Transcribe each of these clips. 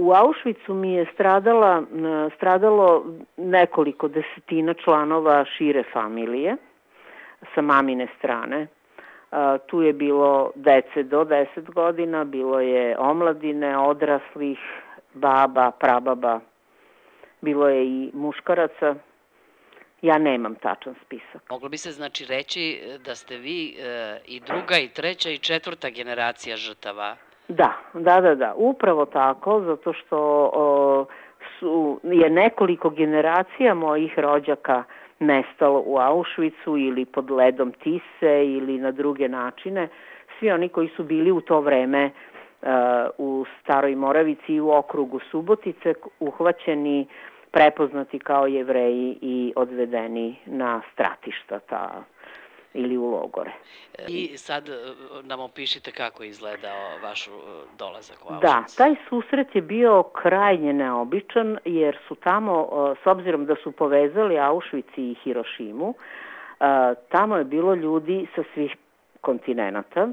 U Auschwitzu mi je stradalo nekoliko desetina članova šire familije sa mamine strane. Tu je bilo dece do 10 godina, bilo je omladine, odraslih, baba, prababa, bilo je i muškaraca. Ja nemam tačan spisak. Moglo bi se znači reći da ste vi i druga i treća i četvrta generacija žrtava. Da, upravo tako, zato što je nekoliko generacija mojih rođaka nestalo u Auschwitzu ili pod ledom Tise ili na druge načine. Svi oni koji su bili u to vreme u Staroj Moravici i u okrugu Subotice uhvaćeni, prepoznati kao Jevreji i odvedeni na stratišta ili u logore. I sad nam opišite kako je izgledao vaš dolazak u Auschwitz. Da, taj susret je bio krajnje neobičan, jer su tamo, s obzirom da su povezali Auschwitz i Hirošimu, tamo je bilo ljudi sa svih kontinenata,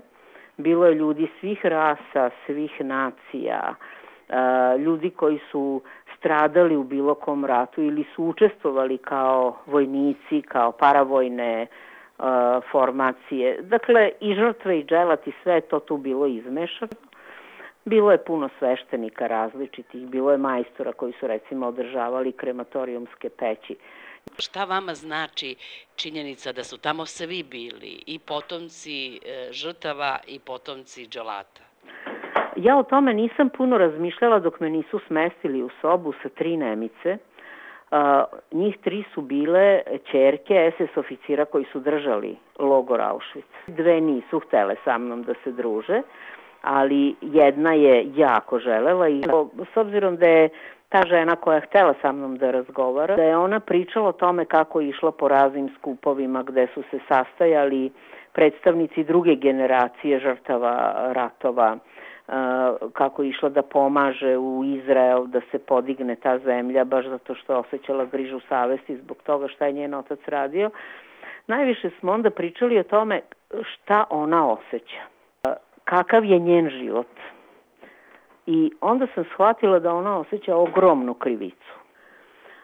bilo je ljudi svih rasa, svih nacija, ljudi koji su stradali u bilo kom ratu ili su učestvovali kao vojnici, kao paravojne formacije. Dakle, i žrtve i dželati, sve je to tu bilo izmešano. Bilo je puno sveštenika različitih, bilo je majstora koji su recimo održavali krematorijumske peći. Šta vama znači činjenica da su tamo svi bili, i potomci žrtava i potomci dželata? Ja o tome nisam puno razmišljala dok me nisu smestili u sobu sa 3 Nemice. Njih 3 su bile ćerke SS oficira koji su držali logor Auschwitz. 2 nisu htele sa mnom da se druže, ali jedna je jako želela i s obzirom da je ta žena koja je htela sa mnom da razgovara, da je ona pričala o tome kako je išla po raznim skupovima gde su se sastajali predstavnici druge generacije žrtava ratova, kako je išla da pomaže u Izrael da se podigne ta zemlja, baš zato što je osjećala grižu savesti zbog toga šta je njen otac radio. Najviše smo onda pričali o tome šta ona osjeća, kakav je njen život. I onda sam shvatila da ona osjeća ogromnu krivicu.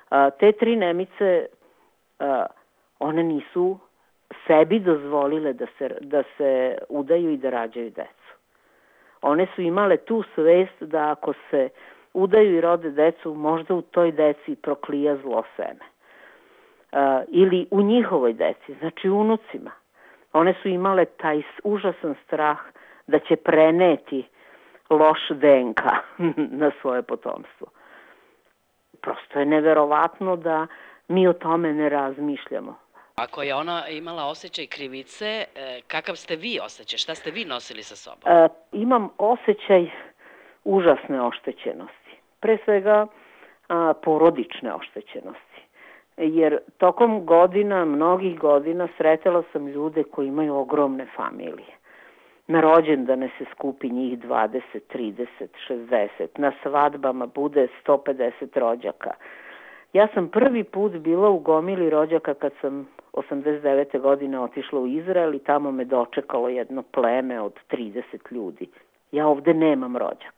Te 3 Nemice, one nisu sebi dozvolile da se udaju i da rađaju decu. One su imale tu svest da ako se udaju i rode decu, možda u toj deci proklija zlo seme. Ili u njihovoj deci, znači unucima. One su imale taj užasan strah da će preneti loš DNK na svoje potomstvo. Prosto je neverovatno da mi o tome ne razmišljamo. Ako je ona imala osjećaj krivice, kakav ste vi osjećaj? Šta ste vi nosili sa sobom? Imam osjećaj užasne oštećenosti. Pre svega porodične oštećenosti. Jer tokom godina, mnogih godina, sretala sam ljude koji imaju ogromne familije. Na rođendane se skupi njih 20, 30, 60. Na svadbama bude 150 rođaka. Ja sam prvi put bila u gomili rođaka kad sam 89. godine otišla u Izrael i tamo me dočekalo jedno pleme od 30 ljudi. Ja ovde nemam rođaka.